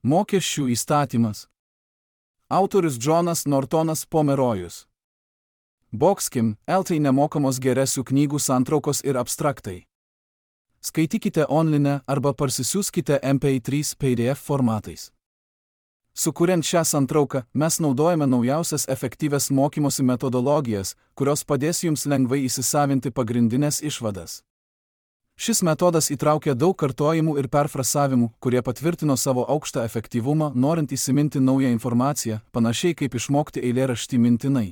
Mokesčių įstatymas. Autorius Džonas Nortonas Pomerojus. Boxkim, LT nemokamos geresių knygų santraukos ir abstraktai. Skaitykite online arba parsisiųskite MP3 PDF formatais. Sukuriant šią santrauką, mes naudojame naujausias efektyvias mokymosi metodologijas, kurios padės jums lengvai įsisavinti pagrindinės išvadas. Šis metodas įtraukia daug kartojimų ir perfrasavimų, kurie patvirtino savo aukštą efektyvumą, norint įsiminti naują informaciją, panašiai kaip išmokti eilėraštį mintinai.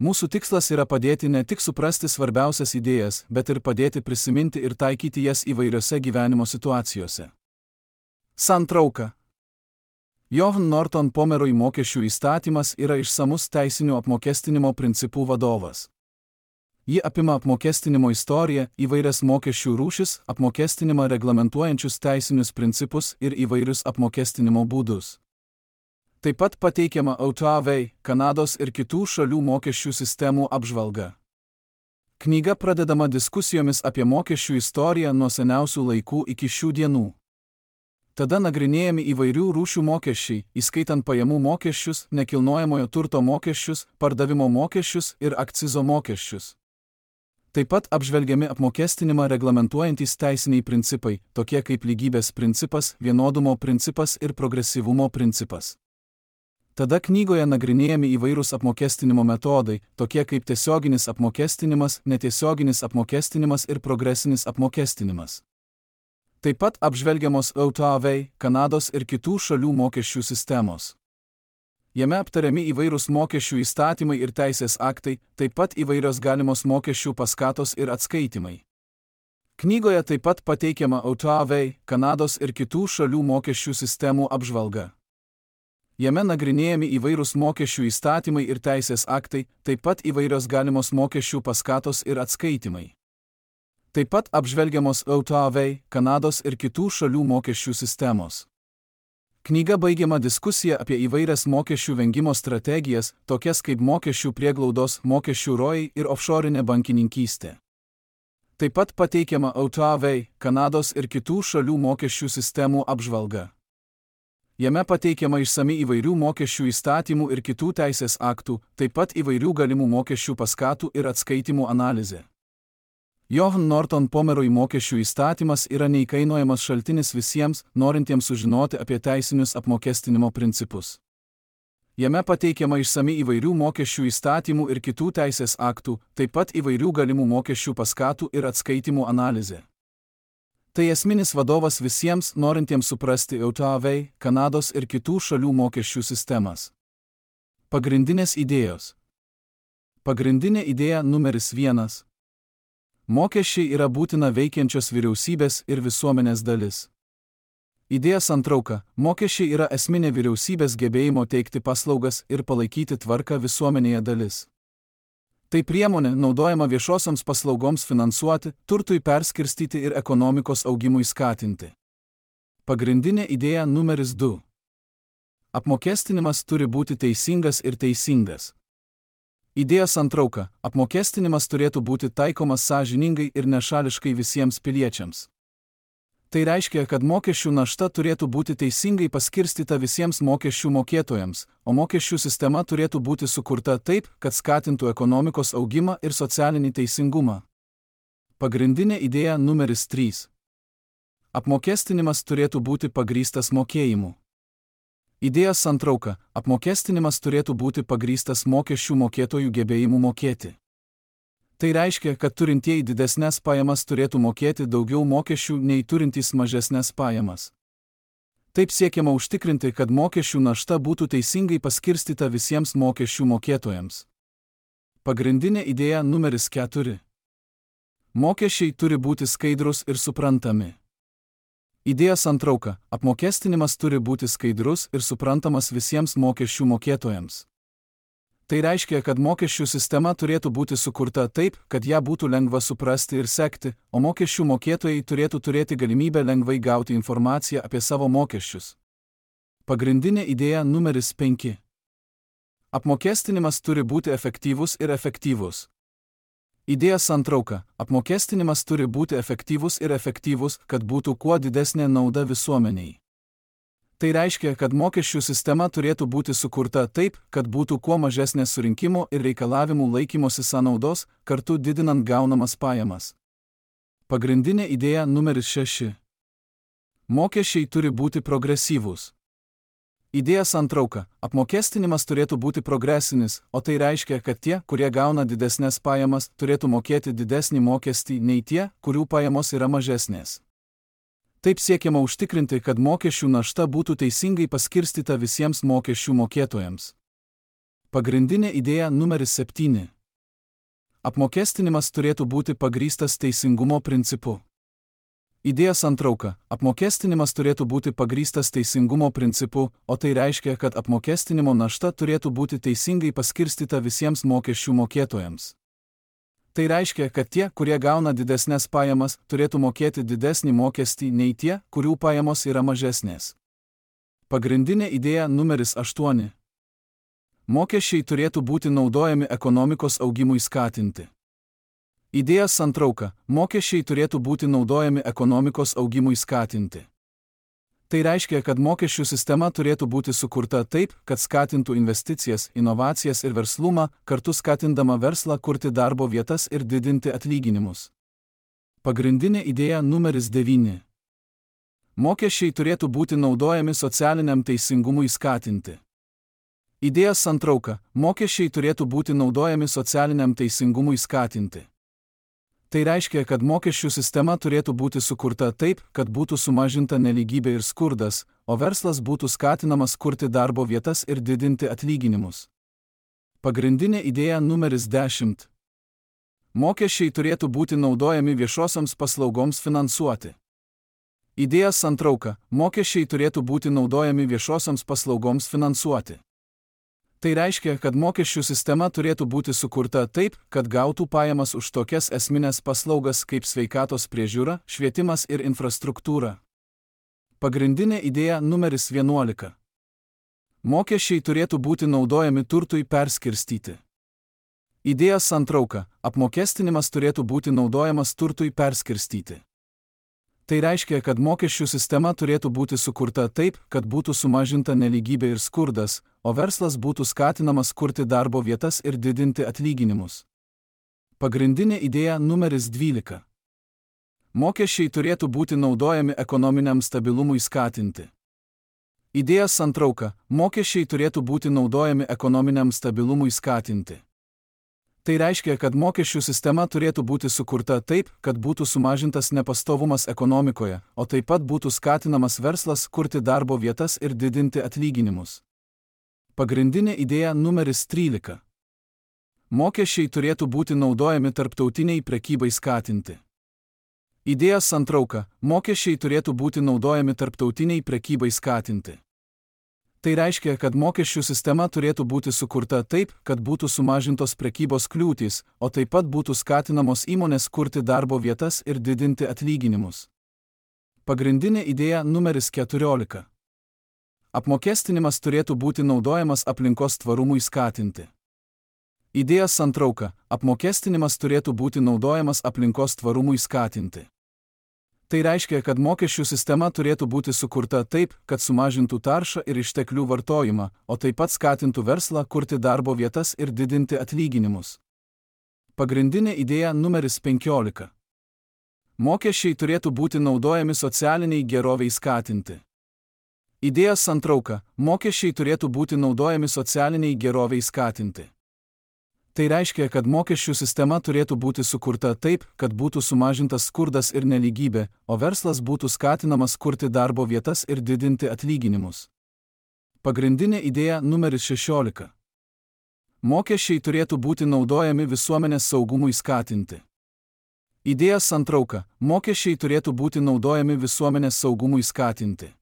Mūsų tikslas yra padėti ne tik suprasti svarbiausias idėjas, bet ir padėti prisiminti ir taikyti jas įvairiose gyvenimo situacijose. Santrauka. Johan Norton Pomeroj mokesčių įstatymas yra išsamus teisinių apmokestinimo principų vadovas. Ji apima apmokestinimo istoriją, įvairias mokesčių rūšis, apmokestinimą reglamentuojančius teisinius principus ir įvairius apmokestinimo būdus. Taip pat pateikiama OTAV, Kanados ir kitų šalių mokesčių sistemų apžvalga. Knyga pradedama diskusijomis apie mokesčių istoriją nuo seniausių laikų iki šių dienų. Tada nagrinėjami įvairių rūšių mokesčiai, įskaitant pajamų mokesčius, nekilnojamojo turto mokesčius, pardavimo mokesčius ir akcizo mokesčius. Taip pat apžvelgiami apmokestinimą reglamentuojantys teisiniai principai, tokie kaip lygybės principas, vienodumo principas ir progresyvumo principas. Tada knygoje nagrinėjami įvairūs apmokestinimo metodai, tokie kaip tiesioginis apmokestinimas, netiesioginis apmokestinimas ir progresinis apmokestinimas. Taip pat apžvelgiamos OTAV, Kanados ir kitų šalių mokesčių sistemos. Jame aptariami įvairūs mokesčių įstatymai ir teisės aktai, taip pat įvairios galimos mokesčių paskatos ir atskaitimai. Knygoje taip pat pateikiama OTAV, Kanados ir kitų šalių mokesčių sistemų apžvalga. Jame nagrinėjami įvairūs mokesčių įstatymai ir teisės aktai, taip pat įvairios galimos mokesčių paskatos ir atskaitimai. Taip pat apžvelgiamos OTAV, Kanados ir kitų šalių mokesčių sistemos. Knyga baigiama diskusija apie įvairias mokesčių vengimo strategijas, tokias kaip mokesčių prieglaudos, mokesčių rojai ir offshorinė bankininkystė. Taip pat pateikiama OTAV, Kanados ir kitų šalių mokesčių sistemų apžvalga. Jame pateikiama išsami įvairių mokesčių įstatymų ir kitų teisės aktų, taip pat įvairių galimų mokesčių paskatų ir atskaitimų analizė. Johan Norton Pomeroj mokesčių įstatymas yra neįkainojamas šaltinis visiems, norintiems sužinoti apie teisinius apmokestinimo principus. Jame pateikiama išsami įvairių mokesčių įstatymų ir kitų teisės aktų, taip pat įvairių galimų mokesčių paskatų ir atskaitimų analizė. Tai esminis vadovas visiems, norintiems suprasti OTAV, Kanados ir kitų šalių mokesčių sistemas. Pagrindinės idėjos. Pagrindinė idėja numeris 1. Mokesčiai yra būtina veikiančios vyriausybės ir visuomenės dalis. Idėja santrauka. Mokesčiai yra esminė vyriausybės gebėjimo teikti paslaugas ir palaikyti tvarką visuomenėje dalis. Tai priemonė naudojama viešosioms paslaugoms finansuoti, turtui perskirstyti ir ekonomikos augimui skatinti. Pagrindinė idėja numeris 2. Apmokestinimas turi būti teisingas ir teisingas. Idėja santrauka. Apmokestinimas turėtų būti taikomas sąžiningai ir nešališkai visiems piliečiams. Tai reiškia, kad mokesčių našta turėtų būti teisingai paskirstyta visiems mokesčių mokėtojams, o mokesčių sistema turėtų būti sukurta taip, kad skatintų ekonomikos augimą ir socialinį teisingumą. Pagrindinė idėja numeris 3. Apmokestinimas turėtų būti pagrįstas mokėjimu. Idėja santrauka. Apmokestinimas turėtų būti pagrįstas mokesčių mokėtojų gebėjimu mokėti. Tai reiškia, kad turintieji didesnės pajamas turėtų mokėti daugiau mokesčių nei turintys mažesnės pajamas. Taip siekiama užtikrinti, kad mokesčių našta būtų teisingai paskirstyta visiems mokesčių mokėtojams. Pagrindinė idėja numeris 4. Mokesčiai turi būti skaidrus ir suprantami. Idėja santrauka. Apmokestinimas turi būti skaidrus ir suprantamas visiems mokesčių mokėtojams. Tai reiškia, kad mokesčių sistema turėtų būti sukurta taip, kad ją būtų lengva suprasti ir sekti, o mokesčių mokėtojai turėtų turėti galimybę lengvai gauti informaciją apie savo mokesčius. Pagrindinė idėja numeris 5. Apmokestinimas turi būti efektyvus ir efektyvus. Idėja santrauka. Apmokestinimas turi būti efektyvus ir efektyvus, kad būtų kuo didesnė nauda visuomeniai. Tai reiškia, kad mokesčių sistema turėtų būti sukurta taip, kad būtų kuo mažesnės surinkimo ir reikalavimų laikymosi sąnaudos, kartu didinant gaunamas pajamas. Pagrindinė idėja numeris 6. Mokesčiai turi būti progresyvūs. Idėja santrauka – apmokestinimas turėtų būti progresinis, o tai reiškia, kad tie, kurie gauna didesnės pajamas, turėtų mokėti didesnį mokestį nei tie, kurių pajamos yra mažesnės. Taip siekiama užtikrinti, kad mokesčių našta būtų teisingai paskirstyta visiems mokesčių mokėtojams. Pagrindinė idėja numeris 7. Apmokestinimas turėtų būti pagrįstas teisingumo principu. Idėja santrauka – apmokestinimas turėtų būti pagrįstas teisingumo principu, o tai reiškia, kad apmokestinimo našta turėtų būti teisingai paskirstyta visiems mokesčių mokėtojams. Tai reiškia, kad tie, kurie gauna didesnės pajamas, turėtų mokėti didesnį mokestį nei tie, kurių pajamos yra mažesnės. Pagrindinė idėja numeris 8. Mokesčiai turėtų būti naudojami ekonomikos augimui skatinti. Idėja santrauka – mokesčiai turėtų būti naudojami ekonomikos augimui skatinti. Tai reiškia, kad mokesčių sistema turėtų būti sukurta taip, kad skatintų investicijas, inovacijas ir verslumą, kartu skatindama verslą kurti darbo vietas ir didinti atlyginimus. Pagrindinė idėja numeris 9. Mokesčiai turėtų būti naudojami socialiniam teisingumui skatinti. Idėja santrauka – mokesčiai turėtų būti naudojami socialiniam teisingumui skatinti. Tai reiškia, kad mokesčių sistema turėtų būti sukurta taip, kad būtų sumažinta nelygybė ir skurdas, o verslas būtų skatinamas kurti darbo vietas ir didinti atlyginimus. Pagrindinė idėja numeris 10. Mokesčiai turėtų būti naudojami viešosioms paslaugoms finansuoti. Idėja santrauka – mokesčiai turėtų būti naudojami viešosioms paslaugoms finansuoti. Tai reiškia, kad mokesčių sistema turėtų būti sukurta taip, kad gautų pajamas už tokias esminės paslaugas kaip sveikatos priežiūra, švietimas ir infrastruktūra. Pagrindinė idėja numeris 11. Mokesčiai turėtų būti naudojami turtui perskirstyti. Idėja santrauka – apmokestinimas turėtų būti naudojamas turtui perskirstyti. Tai reiškia, kad mokesčių sistema turėtų būti sukurta taip, kad būtų sumažinta nelygybė ir skurdas, o verslas būtų skatinamas kurti darbo vietas ir didinti atlyginimus. Pagrindinė idėja numeris 12. Mokesčiai turėtų būti naudojami ekonominiam stabilumui skatinti. Idėja santrauka – mokesčiai turėtų būti naudojami ekonominiam stabilumui skatinti. Tai reiškia, kad mokesčių sistema turėtų būti sukurta taip, kad būtų sumažintas nepastovumas ekonomikoje, o taip pat būtų skatinamas verslas kurti darbo vietas ir didinti atlyginimus. Pagrindinė idėja numeris 13. Mokesčiai turėtų būti naudojami tarptautiniai prekybai skatinti. Idėja santrauka – mokesčiai turėtų būti naudojami tarptautiniai prekybai skatinti. Tai reiškia, kad mokesčių sistema turėtų būti sukurta taip, kad būtų sumažintos prekybos kliūtys, o taip pat būtų skatinamos įmonės kurti darbo vietas ir didinti atlyginimus. Pagrindinė idėja numeris 14. Apmokestinimas turėtų būti naudojamas aplinkos tvarumui skatinti. Idėja santrauka – apmokestinimas turėtų būti naudojamas aplinkos tvarumui skatinti. Tai reiškia, kad mokesčių sistema turėtų būti sukurta taip, kad sumažintų taršą ir išteklių vartojimą, o taip pat skatintų verslą kurti darbo vietas ir didinti atlyginimus. Pagrindinė idėja numeris 15. Mokesčiai turėtų būti naudojami socialiniai geroviai skatinti. Idėja santrauka – mokesčiai turėtų būti naudojami socialiniai geroviai skatinti. Tai reiškia, kad mokesčių sistema turėtų būti sukurta taip, kad būtų sumažintas skurdas ir nelygybė, o verslas būtų skatinamas kurti darbo vietas ir didinti atlyginimus. Pagrindinė idėja numeris 16. Mokesčiai turėtų būti naudojami visuomenės saugumui skatinti. Idėja santrauka – mokesčiai turėtų būti naudojami visuomenės saugumui skatinti.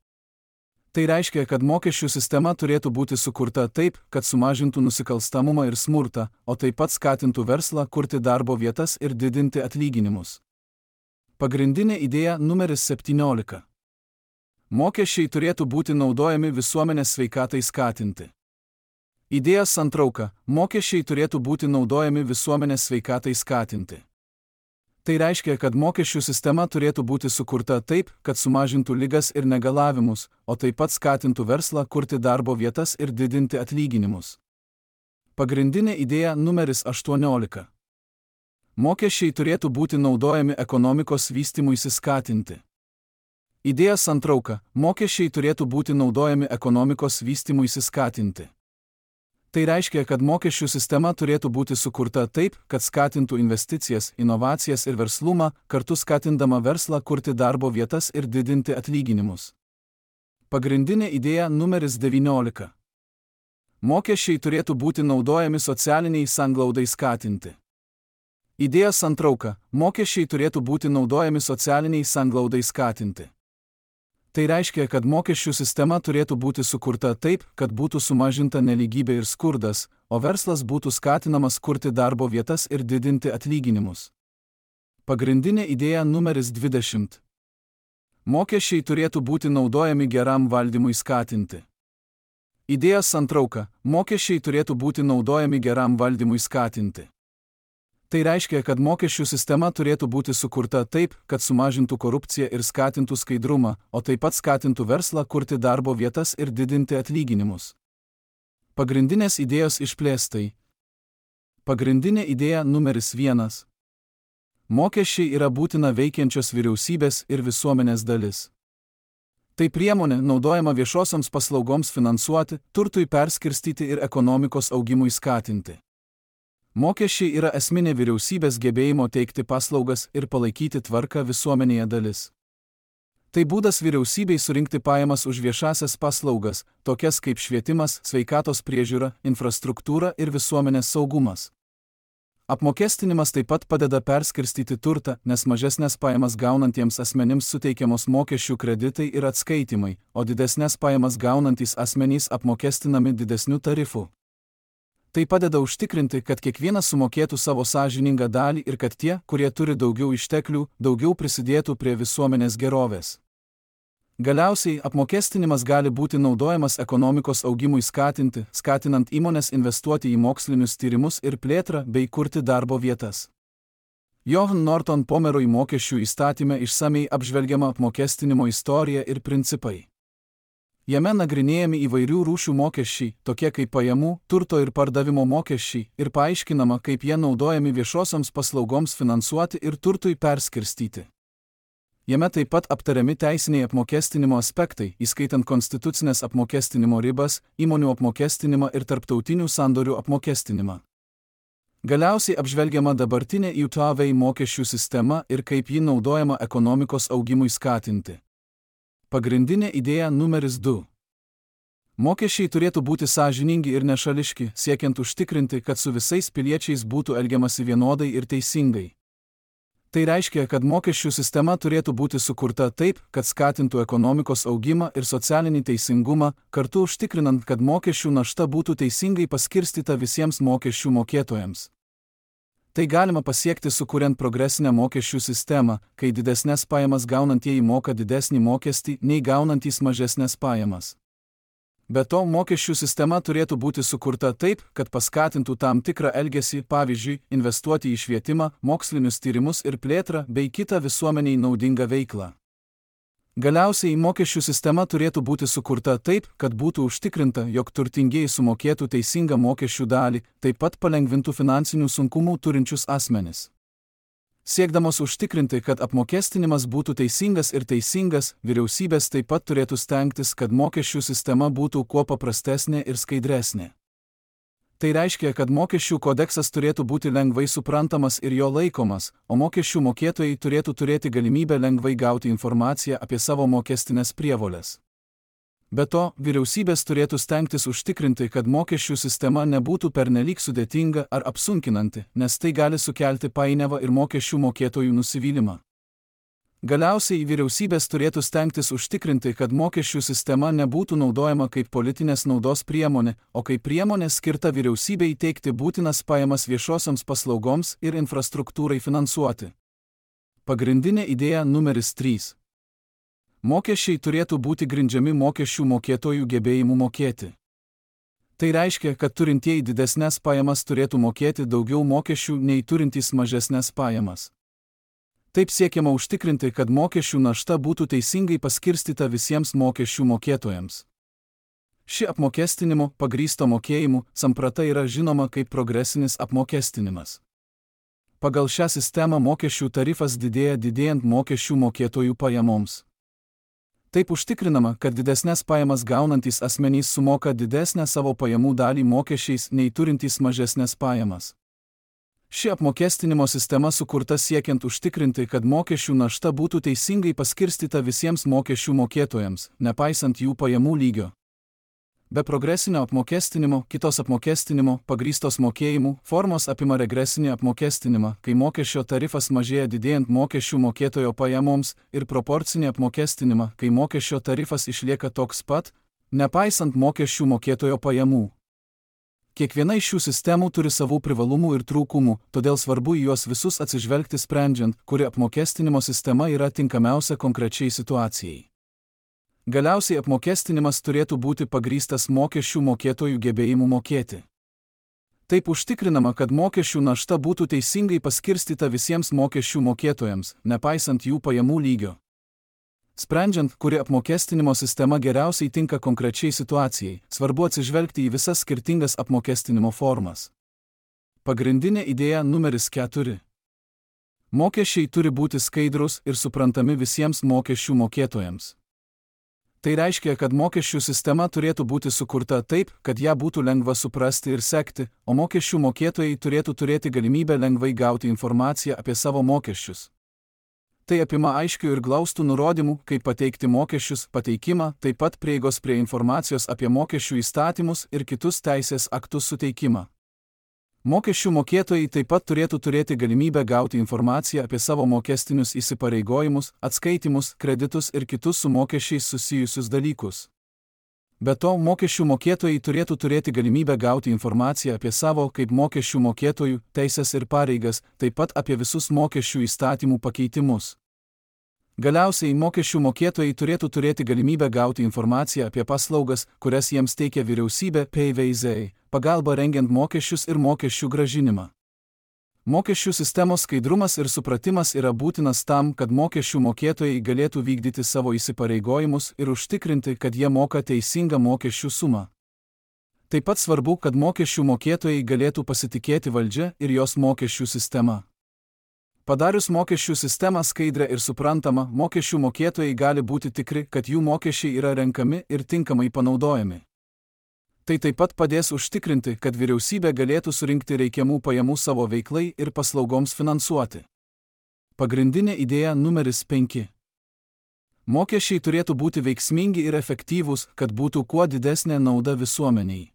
Tai reiškia, kad mokesčių sistema turėtų būti sukurta taip, kad sumažintų nusikalstamumą ir smurtą, o taip pat skatintų verslą kurti darbo vietas ir didinti atlyginimus. Pagrindinė idėja numeris 17. Mokesčiai turėtų būti naudojami visuomenės sveikatai skatinti. Idėja santrauka – mokesčiai turėtų būti naudojami visuomenės sveikatai skatinti. Tai reiškia, kad mokesčių sistema turėtų būti sukurta taip, kad sumažintų ligas ir negalavimus, o taip pat skatintų verslą kurti darbo vietas ir didinti atlyginimus. Pagrindinė idėja numeris 18. Mokesčiai turėtų būti naudojami ekonomikos vystymuisi skatinti. Idėja santrauka. Mokesčiai turėtų būti naudojami ekonomikos vystymuisi skatinti. Tai reiškia, kad mokesčių sistema turėtų būti sukurta taip, kad skatintų investicijas, inovacijas ir verslumą, kartu skatindama verslą kurti darbo vietas ir didinti atlyginimus. Pagrindinė idėja numeris 19. Mokesčiai turėtų būti naudojami socialiniai sanglaudai skatinti. Idėja santrauka. Mokesčiai turėtų būti naudojami socialiniai sanglaudai skatinti. Tai reiškia, kad mokesčių sistema turėtų būti sukurta taip, kad būtų sumažinta nelygybė ir skurdas, o verslas būtų skatinamas kurti darbo vietas ir didinti atlyginimus. Pagrindinė idėja numeris 20. Mokesčiai turėtų būti naudojami geram valdymui skatinti. Idėja santrauka. Mokesčiai turėtų būti naudojami geram valdymui skatinti. Tai reiškia, kad mokesčių sistema turėtų būti sukurta taip, kad sumažintų korupciją ir skatintų skaidrumą, o taip pat skatintų verslą kurti darbo vietas ir didinti atlyginimus. Pagrindinės idėjos išplėstai. Pagrindinė idėja numeris 1. Mokesčiai yra būtina veikiančios vyriausybės ir visuomenės dalis. Tai priemonė naudojama viešosioms paslaugoms finansuoti, turtui perskirstyti ir ekonomikos augimui skatinti. Mokesčiai yra esminė vyriausybės gebėjimo teikti paslaugas ir palaikyti tvarką visuomenėje dalis. Tai būdas vyriausybei surinkti pajamas už viešasias paslaugas, tokias kaip švietimas, sveikatos priežiūra, infrastruktūra ir visuomenės saugumas. Apmokestinimas taip pat padeda perskirstyti turtą, nes mažesnės pajamas gaunantiems asmenims suteikiamos mokesčių kreditai ir atskaitimai, o didesnės pajamas gaunantys asmenys apmokestinami didesniu tarifu. Tai padeda užtikrinti, kad kiekvienas sumokėtų savo sąžiningą dalį ir kad tie, kurie turi daugiau išteklių, daugiau prisidėtų prie visuomenės gerovės. Galiausiai, apmokestinimas gali būti naudojamas ekonomikos augimui skatinti, skatinant įmones investuoti į mokslinius tyrimus ir plėtrą bei kurti darbo vietas. Johan Norton Pomeroy mokesčių įstatyme išsamiai apžvelgiama apmokestinimo istorija ir principai. Jame nagrinėjami įvairių rūšių mokesčiai, tokie kaip pajamų, turto ir pardavimo mokesčiai, ir paaiškinama, kaip jie naudojami viešosioms paslaugoms finansuoti ir turtui perskirstyti. Jame taip pat aptariami teisiniai apmokestinimo aspektai, įskaitant konstitucinės apmokestinimo ribas, įmonių apmokestinimą ir tarptautinių sandorių apmokestinimą. Galiausiai apžvelgiama dabartinė JAV mokesčių sistema ir kaip ji naudojama ekonomikos augimui skatinti. Pagrindinė idėja numeris 2. Mokesčiai turėtų būti sąžiningi ir nešališki, siekiant užtikrinti, kad su visais piliečiais būtų elgiamasi vienodai ir teisingai. Tai reiškia, kad mokesčių sistema turėtų būti sukurta taip, kad skatintų ekonomikos augimą ir socialinį teisingumą, kartu užtikrinant, kad mokesčių našta būtų teisingai paskirstyta visiems mokesčių mokėtojams. Tai galima pasiekti sukuriant progresinę mokesčių sistemą, kai didesnės pajamas gaunantieji moka didesnį mokestį nei gaunantys mažesnės pajamas. Be to, mokesčių sistema turėtų būti sukurta taip, kad paskatintų tam tikrą elgesį, pavyzdžiui, investuoti į švietimą, mokslinius tyrimus ir plėtrą bei kitą visuomeniai naudingą veiklą. Galiausiai, mokesčių sistema turėtų būti sukurta taip, kad būtų užtikrinta, jog turtingieji sumokėtų teisingą mokesčių dalį, taip pat palengvintų finansinių sunkumų turinčius asmenis. Siekdamos užtikrinti, kad apmokestinimas būtų teisingas ir teisingas, vyriausybės taip pat turėtų stengtis, kad mokesčių sistema būtų kuo paprastesnė ir skaidresnė. Tai reiškia, kad mokesčių kodeksas turėtų būti lengvai suprantamas ir jo laikomas, o mokesčių mokėtojai turėtų turėti galimybę lengvai gauti informaciją apie savo mokestinės prievoles. Be to, vyriausybės turėtų stengtis užtikrinti, kad mokesčių sistema nebūtų pernelyg sudėtinga ar apsunkinanti, nes tai gali sukelti painiavą ir mokesčių mokėtojų nusivylimą. Galiausiai, vyriausybės turėtų stengtis užtikrinti, kad mokesčių sistema nebūtų naudojama kaip politinės naudos priemonė, o kaip priemonė skirta vyriausybei teikti būtinas pajamas viešosioms paslaugoms ir infrastruktūrai finansuoti. Pagrindinė idėja numeris 3. Mokesčiai turėtų būti grindžiami mokesčių mokėtojų gebėjimu mokėti. Tai reiškia, kad turintieji didesnės pajamas turėtų mokėti daugiau mokesčių nei turintys mažesnės pajamas. Taip siekiama užtikrinti, kad mokesčių našta būtų teisingai paskirstyta visiems mokesčių mokėtojams. Ši apmokestinimo, pagrįsto mokėjimu, samprata yra žinoma kaip progresinis apmokestinimas. Pagal šią sistemą mokesčių tarifas didėja didėjant mokesčių mokėtojų pajamoms. Taip užtikrinama, kad didesnės pajamas gaunantys asmenys sumoka didesnę savo pajamų dalį mokesčiais nei turintys mažesnės pajamas. Ši apmokestinimo sistema sukurta siekiant užtikrinti, kad mokesčių našta būtų teisingai paskirstyta visiems mokesčių mokėtojams, nepaisant jų pajamų lygio. Be progresinio apmokestinimo, kitos apmokestinimo, pagrįstos mokėjimų, formos apima regresinį apmokestinimą, kai mokesčio tarifas mažėja didėjant mokesčių mokėtojo pajamoms, ir proporcinį apmokestinimą, kai mokesčio tarifas išlieka toks pat, nepaisant mokesčių mokėtojo pajamų. Kiekviena iš šių sistemų turi savų privalumų ir trūkumų, todėl svarbu į juos visus atsižvelgti sprendžiant, kuri apmokestinimo sistema yra tinkamiausia konkrečiai situacijai. Galiausiai apmokestinimas turėtų būti pagrįstas mokesčių mokėtojų gebėjimu mokėti. Taip užtikrinama, kad mokesčių našta būtų teisingai paskirstyta visiems mokesčių mokėtojams, nepaisant jų pajamų lygio. Sprendžiant, kuri apmokestinimo sistema geriausiai tinka konkrečiai situacijai, svarbu atsižvelgti į visas skirtingas apmokestinimo formas. Pagrindinė idėja numeris 4. Mokesčiai turi būti skaidrūs ir suprantami visiems mokesčių mokėtojams. Tai reiškia, kad mokesčių sistema turėtų būti sukurta taip, kad ją būtų lengva suprasti ir sekti, o mokesčių mokėtojai turėtų turėti galimybę lengvai gauti informaciją apie savo mokesčius. Tai apima aiškių ir glaustų nurodymų, kaip pateikti mokesčius, pateikimą, taip pat prieigos prie informacijos apie mokesčių įstatymus ir kitus teisės aktus suteikimą. Mokesčių mokėtojai taip pat turėtų turėti galimybę gauti informaciją apie savo mokestinius įsipareigojimus, atskaitimus, kreditus ir kitus su mokesčiais susijusius dalykus. Be to, mokesčių mokėtojai turėtų turėti galimybę gauti informaciją apie savo kaip mokesčių mokėtojų teises ir pareigas, taip pat apie visus mokesčių įstatymų pakeitimus. Galiausiai mokesčių mokėtojai turėtų turėti galimybę gauti informaciją apie paslaugas, kurias jiems teikia vyriausybė PVZ, pagalba rengiant mokesčius ir mokesčių grąžinimą. Mokesčių sistemos skaidrumas ir supratimas yra būtinas tam, kad mokesčių mokėtojai galėtų vykdyti savo įsipareigojimus ir užtikrinti, kad jie moka teisingą mokesčių sumą. Taip pat svarbu, kad mokesčių mokėtojai galėtų pasitikėti valdžia ir jos mokesčių sistema. Padarius mokesčių sistemą skaidrę ir suprantamą, mokesčių mokėtojai gali būti tikri, kad jų mokesčiai yra renkami ir tinkamai panaudojami. Tai taip pat padės užtikrinti, kad vyriausybė galėtų surinkti reikiamų pajamų savo veiklai ir paslaugoms finansuoti. Pagrindinė idėja numeris 5. Mokesčiai turėtų būti veiksmingi ir efektyvūs, kad būtų kuo didesnė nauda visuomeniai.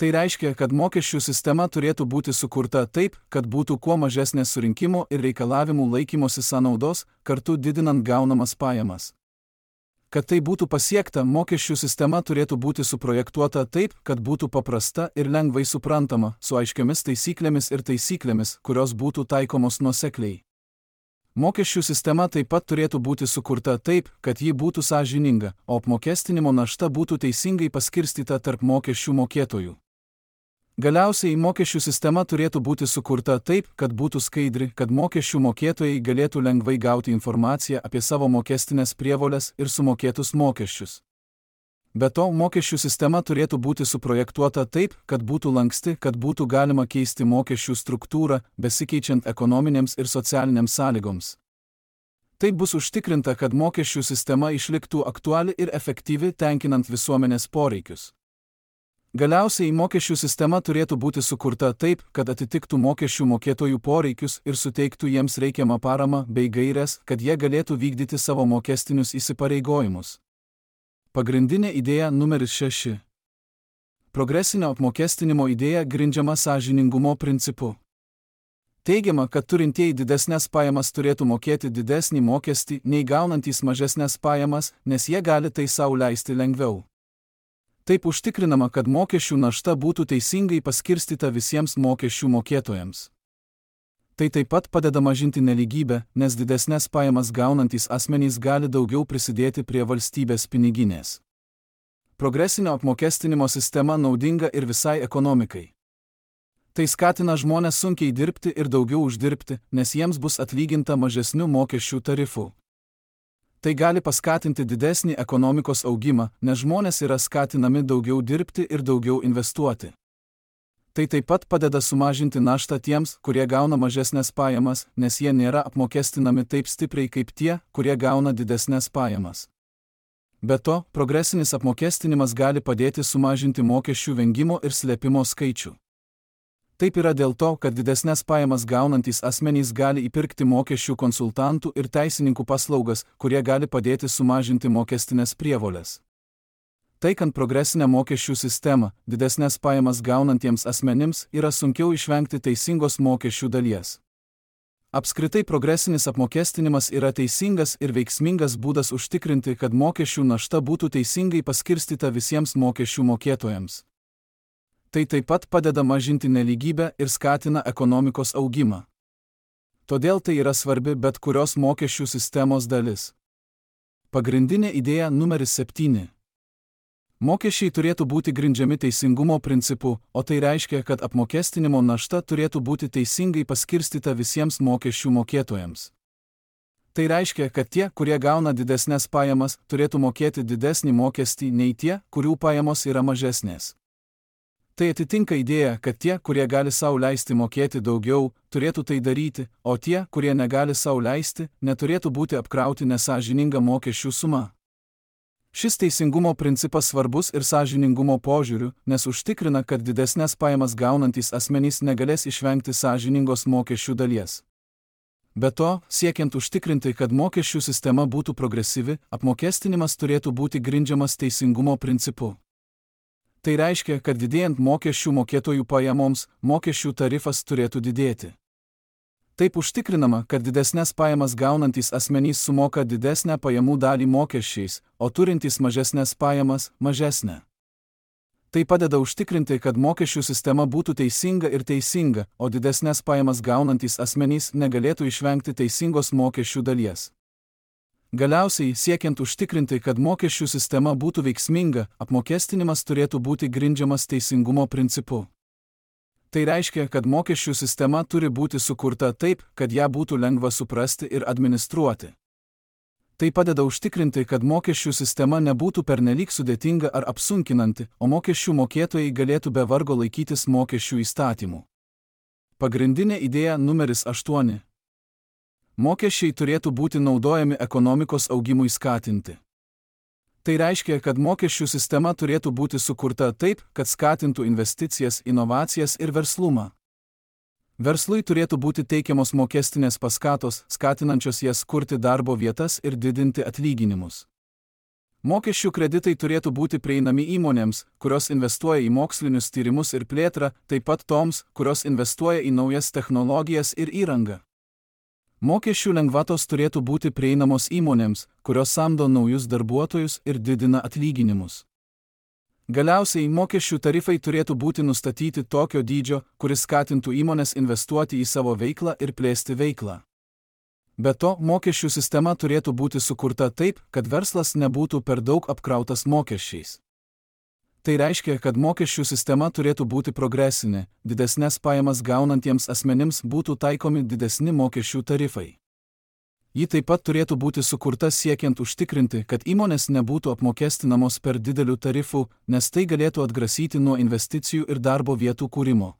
Tai reiškia, kad mokesčių sistema turėtų būti sukurta taip, kad būtų kuo mažesnė surinkimo ir reikalavimų laikymosi sąnaudos, kartu didinant gaunamas pajamas. Kad tai būtų pasiekta, mokesčių sistema turėtų būti suprojektuota taip, kad būtų paprasta ir lengvai suprantama, su aiškiamis taisyklėmis, kurios būtų taikomos nuosekliai. Mokesčių sistema taip pat turėtų būti sukurta taip, kad ji būtų sąžininga, o apmokestinimo našta būtų teisingai paskirstyta tarp mokesčių mokėtojų. Galiausiai mokesčių sistema turėtų būti sukurta taip, kad būtų skaidri, kad mokesčių mokėtojai galėtų lengvai gauti informaciją apie savo mokestinės prievoles ir sumokėtus mokesčius. Be to, mokesčių sistema turėtų būti suprojektuota taip, kad būtų lanksti, kad būtų galima keisti mokesčių struktūrą, besikeičiant ekonominėms ir socialinėms sąlygoms. Taip bus užtikrinta, kad mokesčių sistema išliktų aktuali ir efektyvi, tenkinant visuomenės poreikius. Galiausiai mokesčių sistema turėtų būti sukurta taip, kad atitiktų mokesčių mokėtojų poreikius ir suteiktų jiems reikiamą paramą bei gaires, kad jie galėtų vykdyti savo mokestinius įsipareigojimus. Pagrindinė idėja numeris 6. Progresinio apmokestinimo idėja grindžiama sąžiningumo principu. Teigiama, kad turintieji didesnės pajamas turėtų mokėti didesnį mokestį nei gaunantys mažesnės pajamas, nes jie gali tai sau leisti lengviau. Taip užtikrinama, kad mokesčių našta būtų teisingai paskirstyta visiems mokesčių mokėtojams. Tai taip pat padeda mažinti nelygybę, nes didesnės pajamas gaunantys asmenys gali daugiau prisidėti prie valstybės piniginės. Progresinio apmokestinimo sistema naudinga ir visai ekonomikai. Tai skatina žmonės sunkiai dirbti ir daugiau uždirbti, nes jiems bus atlyginta mažesnių mokesčių tarifų. Tai gali paskatinti didesnį ekonomikos augimą, nes žmonės yra skatinami daugiau dirbti ir daugiau investuoti. Tai taip pat padeda sumažinti naštą tiems, kurie gauna mažesnės pajamas, nes jie nėra apmokestinami taip stipriai kaip tie, kurie gauna didesnės pajamas. Be to, progresinis apmokestinimas gali padėti sumažinti mokesčių vengimo ir slėpimo skaičių. Taip yra dėl to, kad didesnės pajamas gaunantys asmenys gali įpirkti mokesčių konsultantų ir teisininkų paslaugas, kurie gali padėti sumažinti mokestinės prievolės. Taikant progresinę mokesčių sistemą, didesnės pajamas gaunantiems asmenims yra sunkiau išvengti teisingos mokesčių dalies. Apskritai progresinis apmokestinimas yra teisingas ir veiksmingas būdas užtikrinti, kad mokesčių našta būtų teisingai paskirstyta visiems mokesčių mokėtojams. Tai taip pat padeda mažinti nelygybę ir skatina ekonomikos augimą. Todėl tai yra svarbi bet kurios mokesčių sistemos dalis. Pagrindinė idėja numeris 7. Mokesčiai turėtų būti grindžiami teisingumo principu, o tai reiškia, kad apmokestinimo našta turėtų būti teisingai paskirstyta visiems mokesčių mokėtojams. Tai reiškia, kad tie, kurie gauna didesnės pajamas, turėtų mokėti didesnį mokestį nei tie, kurių pajamos yra mažesnės. Tai atitinka idėją, kad tie, kurie gali sau leisti mokėti daugiau, turėtų tai daryti, o tie, kurie negali sau leisti, neturėtų būti apkrauti nesąžininga mokesčių suma. Šis teisingumo principas svarbus ir sąžiningumo požiūriu, nes užtikrina, kad didesnės pajamas gaunantys asmenys negalės išvengti sąžiningos mokesčių dalies. Be to, siekiant užtikrinti, kad mokesčių sistema būtų progresyvi, apmokestinimas turėtų būti grindžiamas teisingumo principu. Tai reiškia, kad didėjant mokesčių mokėtojų pajamoms, mokesčių tarifas turėtų didėti. Taip užtikrinama, kad didesnės pajamas gaunantys asmenys sumoka didesnę pajamų dalį mokesčiais, o turintys mažesnės pajamas – mažesnę. Tai padeda užtikrinti, kad mokesčių sistema būtų teisinga, o didesnės pajamas gaunantys asmenys negalėtų išvengti teisingos mokesčių dalies. Galiausiai, siekiant užtikrinti, kad mokesčių sistema būtų veiksminga, apmokestinimas turėtų būti grindžiamas teisingumo principu. Tai reiškia, kad mokesčių sistema turi būti sukurta taip, kad ją būtų lengva suprasti ir administruoti. Tai padeda užtikrinti, kad mokesčių sistema nebūtų pernelyg sudėtinga ar apsunkinanti, o mokesčių mokėtojai galėtų be vargo laikytis mokesčių įstatymų. Pagrindinė idėja numeris 8. Mokesčiai turėtų būti naudojami ekonomikos augimui skatinti. Tai reiškia, kad mokesčių sistema turėtų būti sukurta taip, kad skatintų investicijas, inovacijas ir verslumą. Verslui turėtų būti teikiamos mokestinės paskatos, skatinančios jas kurti darbo vietas ir didinti atlyginimus. Mokesčių kreditai turėtų būti prieinami įmonėms, kurios investuoja į mokslinius tyrimus ir plėtrą, taip pat toms, kurios investuoja į naujas technologijas ir įrangą. Mokesčių lengvatos turėtų būti prieinamos įmonėms, kurios samdo naujus darbuotojus ir didina atlyginimus. Galiausiai mokesčių tarifai turėtų būti nustatyti tokio dydžio, kuris skatintų įmonės investuoti į savo veiklą ir plėsti veiklą. Be to, mokesčių sistema turėtų būti sukurta taip, kad verslas nebūtų per daug apkrautas mokesčiais. Tai reiškia, kad mokesčių sistema turėtų būti progresinė, didesnės pajamas gaunantiems asmenims būtų taikomi didesni mokesčių tarifai. Ji taip pat turėtų būti sukurta siekiant užtikrinti, kad įmonės nebūtų apmokestinamos per didelių tarifų, nes tai galėtų atgrasyti nuo investicijų ir darbo vietų kūrimo.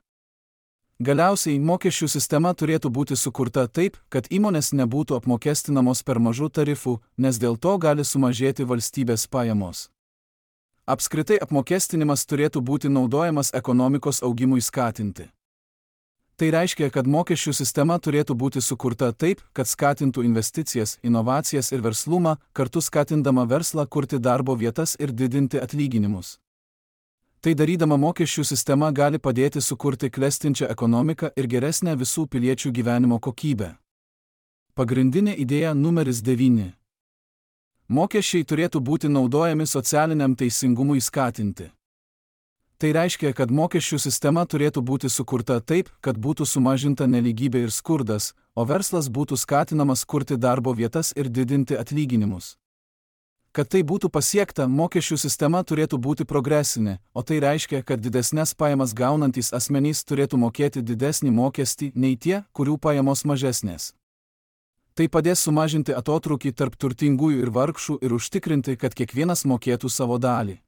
Galiausiai mokesčių sistema turėtų būti sukurta taip, kad įmonės nebūtų apmokestinamos per mažų tarifų, nes dėl to gali sumažėti valstybės pajamos. Apskritai apmokestinimas turėtų būti naudojamas ekonomikos augimui skatinti. Tai reiškia, kad mokesčių sistema turėtų būti sukurta taip, kad skatintų investicijas, inovacijas ir verslumą, kartu skatindama verslą kurti darbo vietas ir didinti atlyginimus. Tai darydama mokesčių sistema gali padėti sukurti klestinčią ekonomiką ir geresnę visų piliečių gyvenimo kokybę. Pagrindinė idėja numeris 9. Mokesčiai turėtų būti naudojami socialiniam teisingumui skatinti. Tai reiškia, kad mokesčių sistema turėtų būti sukurta taip, kad būtų sumažinta nelygybė ir skurdas, o verslas būtų skatinamas kurti darbo vietas ir didinti atlyginimus. Kad tai būtų pasiekta, mokesčių sistema turėtų būti progresinė, o tai reiškia, kad didesnės pajamas gaunantys asmenys turėtų mokėti didesnį mokestį nei tie, kurių pajamos mažesnės. Tai padės sumažinti atotrūkį tarp turtingųjų ir vargšų ir užtikrinti, kad kiekvienas mokėtų savo dalį.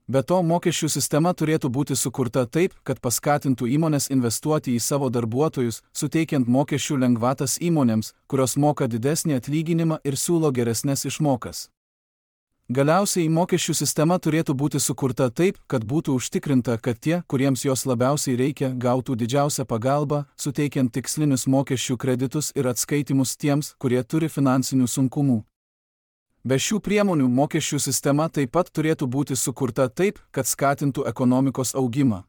Be to, mokesčių sistema turėtų būti sukurta taip, kad paskatintų įmonės investuoti į savo darbuotojus, suteikiant mokesčių lengvatas įmonėms, kurios moka didesnį atlyginimą ir siūlo geresnės išmokas. Galiausiai mokesčių sistema turėtų būti sukurta taip, kad būtų užtikrinta, kad tie, kuriems jos labiausiai reikia, gautų didžiausią pagalbą, suteikiant tikslinius mokesčių kreditus ir atskaitimus tiems, kurie turi finansinių sunkumų. Be šių priemonių mokesčių sistema taip pat turėtų būti sukurta taip, kad skatintų ekonomikos augimą.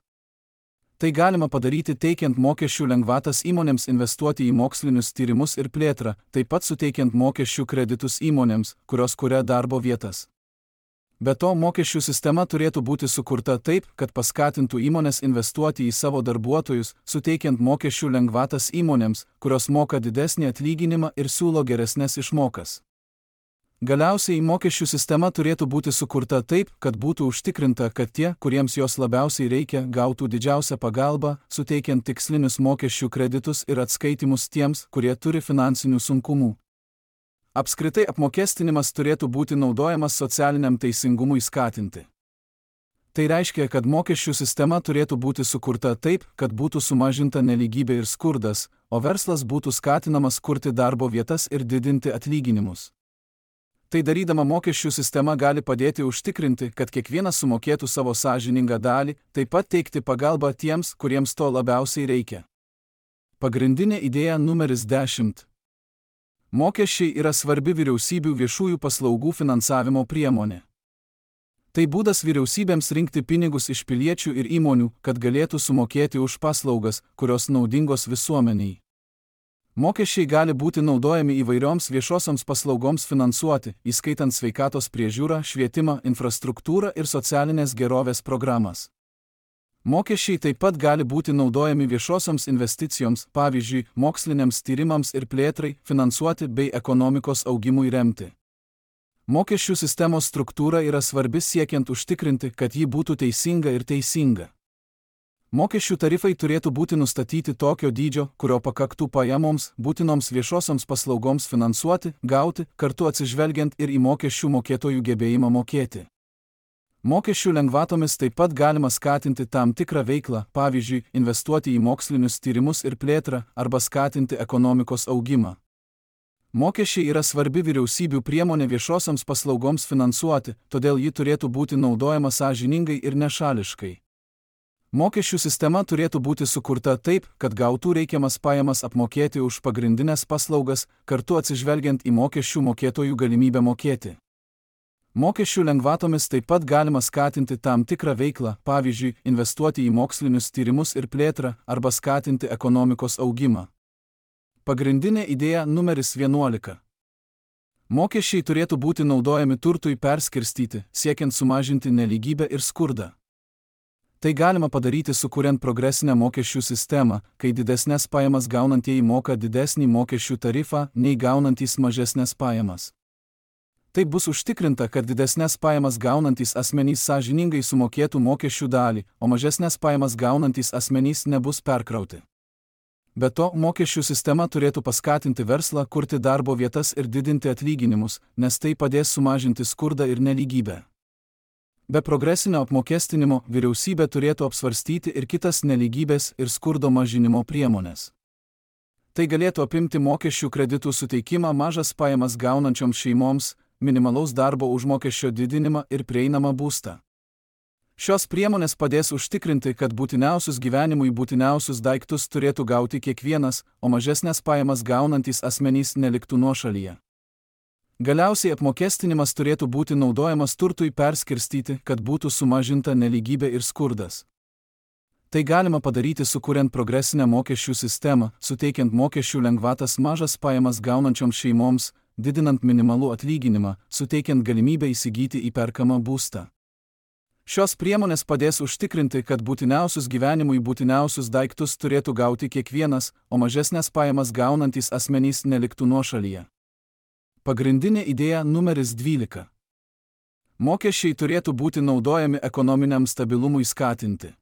Tai galima padaryti teikiant mokesčių lengvatas įmonėms investuoti į mokslinius tyrimus ir plėtrą, taip pat suteikiant mokesčių kreditus įmonėms, kurios kuria darbo vietas. Be to, mokesčių sistema turėtų būti sukurta taip, kad paskatintų įmonės investuoti į savo darbuotojus, suteikiant mokesčių lengvatas įmonėms, kurios moka didesnį atlyginimą ir siūlo geresnės išmokas. Galiausiai mokesčių sistema turėtų būti sukurta taip, kad būtų užtikrinta, kad tie, kuriems jos labiausiai reikia, gautų didžiausią pagalbą, suteikiant tikslinius mokesčių kreditus ir atskaitimus tiems, kurie turi finansinių sunkumų. Apskritai apmokestinimas turėtų būti naudojamas socialiniam teisingumui skatinti. Tai reiškia, kad mokesčių sistema turėtų būti sukurta taip, kad būtų sumažinta nelygybė ir skurdas, o verslas būtų skatinamas kurti darbo vietas ir didinti atlyginimus. Tai darydama mokesčių sistema gali padėti užtikrinti, kad kiekvienas sumokėtų savo sąžiningą dalį, taip pat teikti pagalbą tiems, kuriems to labiausiai reikia. Pagrindinė idėja numeris 10. Mokesčiai yra svarbi vyriausybių viešųjų paslaugų finansavimo priemonė. Tai būdas vyriausybėms rinkti pinigus iš piliečių ir įmonių, kad galėtų sumokėti už paslaugas, kurios naudingos visuomeniai. Mokesčiai gali būti naudojami įvairioms viešosioms paslaugoms finansuoti, įskaitant sveikatos priežiūrą, švietimą, infrastruktūrą ir socialinės gerovės programas. Mokesčiai taip pat gali būti naudojami viešosioms investicijoms, pavyzdžiui, moksliniams tyrimams ir plėtrai, finansuoti bei ekonomikos augimui remti. Mokesčių sistemos struktūra yra svarbi siekiant užtikrinti, kad ji būtų teisinga ir teisinga. Mokesčių tarifai turėtų būti nustatyti tokio dydžio, kurio pakaktų pajamoms, būtinoms viešosioms paslaugoms finansuoti, gauti, kartu atsižvelgiant ir į mokesčių mokėtojų gebėjimą mokėti. Mokesčių lengvatomis taip pat galima skatinti tam tikrą veiklą, pavyzdžiui, investuoti į mokslinius tyrimus ir plėtrą arba skatinti ekonomikos augimą. Mokesčiai yra svarbi vyriausybių priemonė viešosioms paslaugoms finansuoti, todėl ji turėtų būti naudojama sąžiningai ir nešališkai. Mokesčių sistema turėtų būti sukurta taip, kad gautų reikiamas pajamas apmokėti už pagrindinės paslaugas, kartu atsižvelgiant į mokesčių mokėtojų galimybę mokėti. Mokesčių lengvatomis taip pat galima skatinti tam tikrą veiklą, pavyzdžiui, investuoti į mokslinius tyrimus ir plėtrą arba skatinti ekonomikos augimą. Pagrindinė idėja numeris 11. Mokesčiai turėtų būti naudojami turtui perskirstyti, siekiant sumažinti nelygybę ir skurdą. Tai galima padaryti sukuriant progresinę mokesčių sistemą, kai didesnės pajamas gaunantieji moka didesnį mokesčių tarifą, nei gaunantys mažesnės pajamas. Taip bus užtikrinta, kad didesnės pajamas gaunantys asmenys sąžiningai sumokėtų mokesčių dalį, o mažesnės pajamas gaunantys asmenys nebus perkrauti. Be to, mokesčių sistema turėtų paskatinti verslą kurti darbo vietas ir didinti atlyginimus, nes tai padės sumažinti skurdą ir nelygybę. Be progresinio apmokestinimo vyriausybė turėtų apsvarstyti ir kitas nelygybės ir skurdo mažinimo priemonės. Tai galėtų apimti mokesčių kreditų suteikimą mažas pajamas gaunančioms šeimoms, minimalaus darbo užmokesčio didinimą ir prieinamą būstą. Šios priemonės padės užtikrinti, kad būtiniausius gyvenimui būtiniausius daiktus turėtų gauti kiekvienas, o mažesnės pajamas gaunantys asmenys neliktų nuošalyje. Galiausiai apmokestinimas turėtų būti naudojamas turtui perskirstyti, kad būtų sumažinta nelygybė ir skurdas. Tai galima padaryti sukuriant progresinę mokesčių sistemą, suteikiant mokesčių lengvatas mažas pajamas gaunančioms šeimoms, didinant minimalų atlyginimą, suteikiant galimybę įsigyti įperkamą būstą. Šios priemonės padės užtikrinti, kad būtiniausius gyvenimui būtiniausius daiktus turėtų gauti kiekvienas, o mažesnės pajamas gaunantys asmenys neliktų nuošalyje. Pagrindinė idėja numeris 12. Mokesčiai turėtų būti naudojami ekonominiam stabilumui skatinti.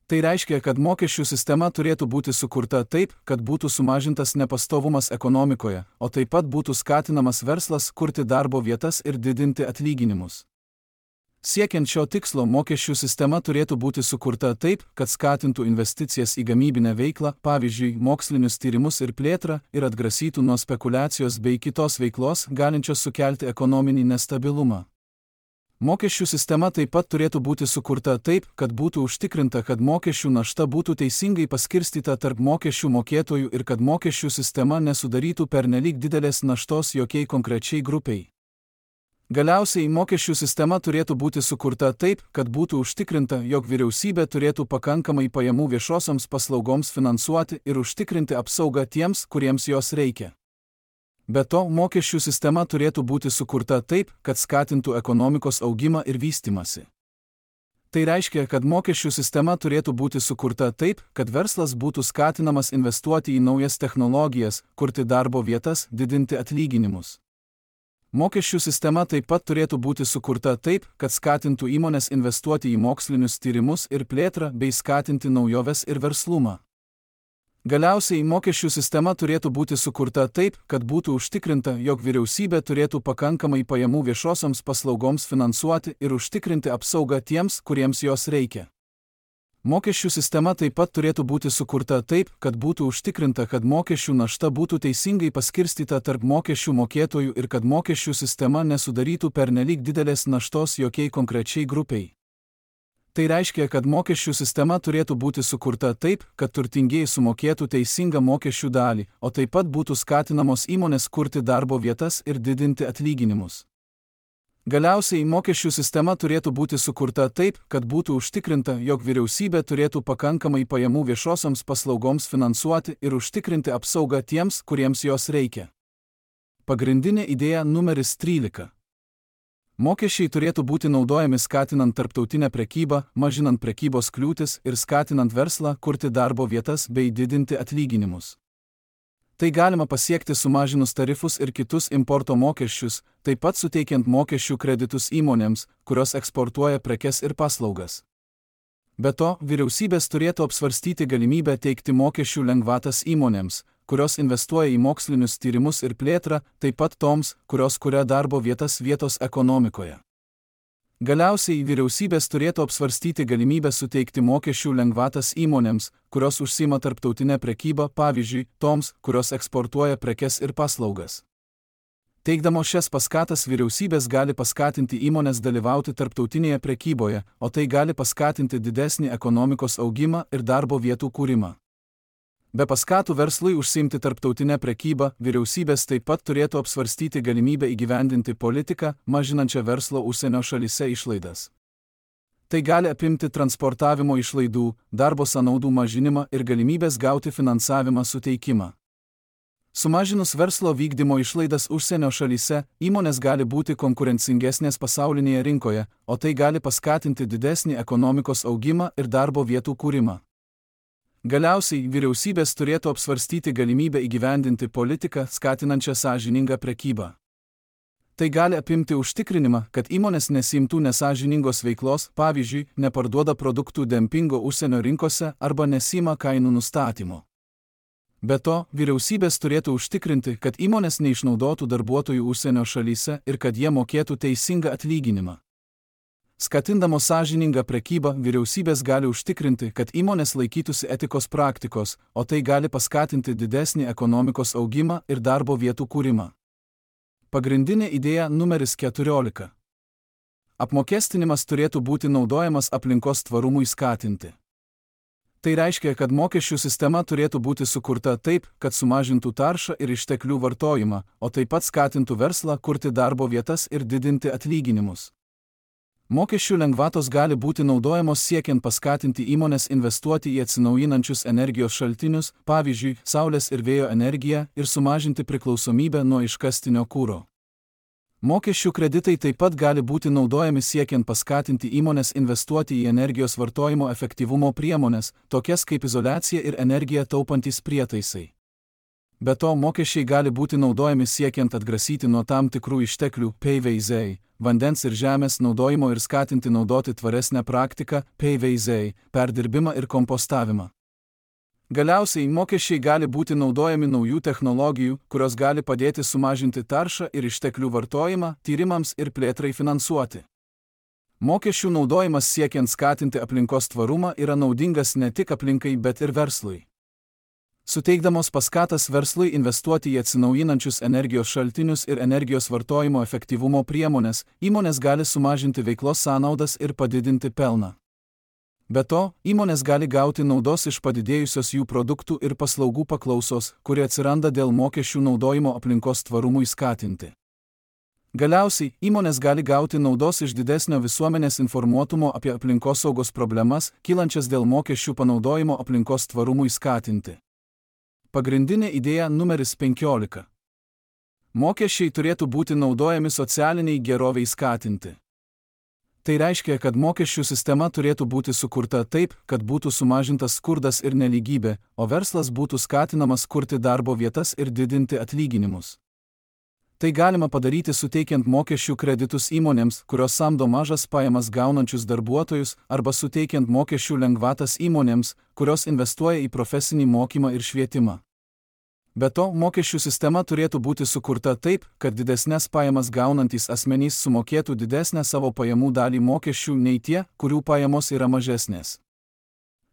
Tai reiškia, kad mokesčių sistema turėtų būti sukurta taip, kad būtų sumažintas nepastovumas ekonomikoje, o taip pat būtų skatinamas verslas kurti darbo vietas ir didinti atlyginimus. Siekiant šio tikslo, mokesčių sistema turėtų būti sukurta taip, kad skatintų investicijas į gamybinę veiklą, pavyzdžiui, mokslinius tyrimus ir plėtrą, ir atgrasytų nuo spekulacijos bei kitos veiklos, galinčios sukelti ekonominį nestabilumą. Mokesčių sistema taip pat turėtų būti sukurta taip, kad būtų užtikrinta, kad mokesčių našta būtų teisingai paskirstyta tarp mokesčių mokėtojų ir kad mokesčių sistema nesudarytų pernelyg didelės naštos jokiai konkrečiai grupiai. Galiausiai mokesčių sistema turėtų būti sukurta taip, kad būtų užtikrinta, jog vyriausybė turėtų pakankamai pajamų viešosioms paslaugoms finansuoti ir užtikrinti apsaugą tiems, kuriems jos reikia. Be to, mokesčių sistema turėtų būti sukurta taip, kad skatintų ekonomikos augimą ir vystymąsi. Tai reiškia, kad mokesčių sistema turėtų būti sukurta taip, kad verslas būtų skatinamas investuoti į naujas technologijas, kurti darbo vietas, didinti atlyginimus. Mokesčių sistema taip pat turėtų būti sukurta taip, kad skatintų įmonės investuoti į mokslinius tyrimus ir plėtrą bei skatinti naujoves ir verslumą. Galiausiai mokesčių sistema turėtų būti sukurta taip, kad būtų užtikrinta, jog vyriausybė turėtų pakankamai pajamų viešosioms paslaugoms finansuoti ir užtikrinti apsaugą tiems, kuriems jos reikia. Mokesčių sistema taip pat turėtų būti sukurta taip, kad būtų užtikrinta, kad mokesčių našta būtų teisingai paskirstyta tarp mokesčių mokėtojų ir kad mokesčių sistema nesudarytų pernelyg didelės naštos jokiai konkrečiai grupiai. Tai reiškia, kad mokesčių sistema turėtų būti sukurta taip, kad turtingieji sumokėtų teisingą mokesčių dalį, o taip pat būtų skatinamos įmonės kurti darbo vietas ir didinti atlyginimus. Galiausiai mokesčių sistema turėtų būti sukurta taip, kad būtų užtikrinta, jog vyriausybė turėtų pakankamai pajamų viešosioms paslaugoms finansuoti ir užtikrinti apsaugą tiems, kuriems jos reikia. Pagrindinė idėja numeris 13. Mokesčiai turėtų būti naudojami skatinant tarptautinę prekybą, mažinant prekybos kliūtis ir skatinant verslą kurti darbo vietas bei didinti atlyginimus. Tai galima pasiekti sumažinus tarifus ir kitus importo mokesčius, taip pat suteikiant mokesčių kreditus įmonėms, kurios eksportuoja prekes ir paslaugas. Be to, vyriausybės turėtų apsvarstyti galimybę teikti mokesčių lengvatas įmonėms, kurios investuoja į mokslinius tyrimus ir plėtrą, taip pat toms, kurios kuria darbo vietas vietos ekonomikoje. Galiausiai vyriausybės turėtų apsvarstyti galimybę suteikti mokesčių lengvatas įmonėms, kurios užsiima tarptautinę prekybą, pavyzdžiui, toms, kurios eksportuoja prekes ir paslaugas. Teikdamos šias paskatas vyriausybės gali paskatinti įmonės dalyvauti tarptautinėje prekyboje, o tai gali paskatinti didesnį ekonomikos augimą ir darbo vietų kūrimą. Be paskatų verslui užsiimti tarptautinę prekybą, vyriausybės taip pat turėtų apsvarstyti galimybę įgyvendinti politiką, mažinančią verslo užsienio šalyse išlaidas. Tai gali apimti transportavimo išlaidų, darbo sąnaudų mažinimą ir galimybės gauti finansavimą suteikimą. Sumažinus verslo vykdymo išlaidas užsienio šalyse, įmonės gali būti konkurencingesnės pasaulinėje rinkoje, o tai gali paskatinti didesnį ekonomikos augimą ir darbo vietų kūrimą. Galiausiai vyriausybės turėtų apsvarstyti galimybę įgyvendinti politiką, skatinančią sąžiningą prekybą. Tai gali apimti užtikrinimą, kad įmonės nesimtų nesąžiningos veiklos, pavyzdžiui, neparduoda produktų dempingo užsienio rinkose arba nesima kainų nustatymo. Be to, vyriausybės turėtų užtikrinti, kad įmonės neišnaudotų darbuotojų užsienio šalyse ir kad jie mokėtų teisingą atlyginimą. Skatindamos sąžiningą prekybą, vyriausybės gali užtikrinti, kad įmonės laikytųsi etikos praktikos, o tai gali paskatinti didesnį ekonomikos augimą ir darbo vietų kūrimą. Pagrindinė idėja numeris 14. Apmokestinimas turėtų būti naudojamas aplinkos tvarumui skatinti. Tai reiškia, kad mokesčių sistema turėtų būti sukurta taip, kad sumažintų taršą ir išteklių vartojimą, o taip pat skatintų verslą kurti darbo vietas ir didinti atlyginimus. Mokesčių lengvatos gali būti naudojamos siekiant paskatinti įmonės investuoti į atsinaujinančius energijos šaltinius, pavyzdžiui, saulės ir vėjo energiją, ir sumažinti priklausomybę nuo iškastinio kuro. Mokesčių kreditai taip pat gali būti naudojami siekiant paskatinti įmonės investuoti į energijos vartojimo efektyvumo priemones, tokias kaip izoliacija ir energiją taupantys prietaisai. Be to, mokesčiai gali būti naudojami siekiant atgrasyti nuo tam tikrų išteklių PVZ, vandens ir žemės naudojimo ir skatinti naudoti tvaresnę praktiką PVZ, perdirbimą ir kompostavimą. Galiausiai, mokesčiai gali būti naudojami naujų technologijų, kurios gali padėti sumažinti taršą ir išteklių vartojimą, tyrimams ir plėtrai finansuoti. Mokesčių naudojimas siekiant skatinti aplinkos tvarumą yra naudingas ne tik aplinkai, bet ir verslui. Suteikdamos paskatas verslui investuoti į atsinaujinančius energijos šaltinius ir energijos vartojimo efektyvumo priemonės, įmonės gali sumažinti veiklos sąnaudas ir padidinti pelną. Be to, įmonės gali gauti naudos iš padidėjusios jų produktų ir paslaugų paklausos, kuri atsiranda dėl mokesčių naudojimo aplinkos tvarumui skatinti. Galiausiai, įmonės gali gauti naudos iš didesnio visuomenės informuotumo apie aplinkosaugos problemas, kylančias dėl mokesčių panaudojimo aplinkos tvarumui skatinti. Pagrindinė idėja numeris 15. Mokesčiai turėtų būti naudojami socialiniai geroviai skatinti. Tai reiškia, kad mokesčių sistema turėtų būti sukurta taip, kad būtų sumažintas skurdas ir nelygybė, o verslas būtų skatinamas kurti darbo vietas ir didinti atlyginimus. Tai galima padaryti suteikiant mokesčių kreditus įmonėms, kurios samdo mažas pajamas gaunančius darbuotojus, arba suteikiant mokesčių lengvatas įmonėms, kurios investuoja į profesinį mokymą ir švietimą. Be to, mokesčių sistema turėtų būti sukurta taip, kad didesnės pajamas gaunantys asmenys sumokėtų didesnę savo pajamų dalį mokesčių nei tie, kurių pajamos yra mažesnės.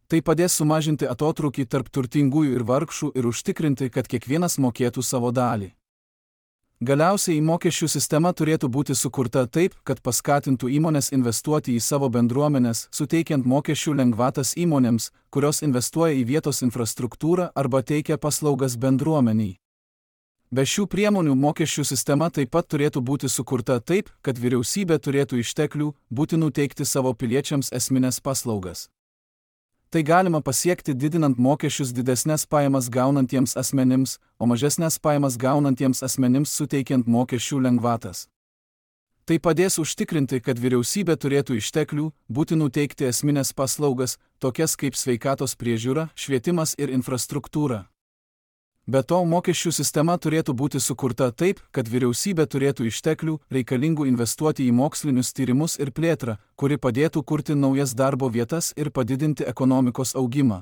Tai padės sumažinti atotrūkį tarp turtingųjų ir vargšų ir užtikrinti, kad kiekvienas mokėtų savo dalį. Galiausiai, mokesčių sistema turėtų būti sukurta taip, kad paskatintų įmonės investuoti į savo bendruomenes, suteikiant mokesčių lengvatas įmonėms, kurios investuoja į vietos infrastruktūrą arba teikia paslaugas bendruomeniai. Be šių priemonių mokesčių sistema taip pat turėtų būti sukurta taip, kad vyriausybė turėtų išteklių, būtinų teikti savo piliečiams esminės paslaugas. Tai galima pasiekti didinant mokesčius didesnės pajamas gaunantiems asmenims, o mažesnės pajamas gaunantiems asmenims suteikiant mokesčių lengvatas. Tai padės užtikrinti, kad vyriausybė turėtų išteklių, būtinų teikti esminės paslaugas, tokias kaip sveikatos priežiūra, švietimas ir infrastruktūra. Be to, mokesčių sistema turėtų būti sukurta taip, kad vyriausybė turėtų išteklių, reikalingų investuoti į mokslinius tyrimus ir plėtrą, kuri padėtų kurti naujas darbo vietas ir padidinti ekonomikos augimą.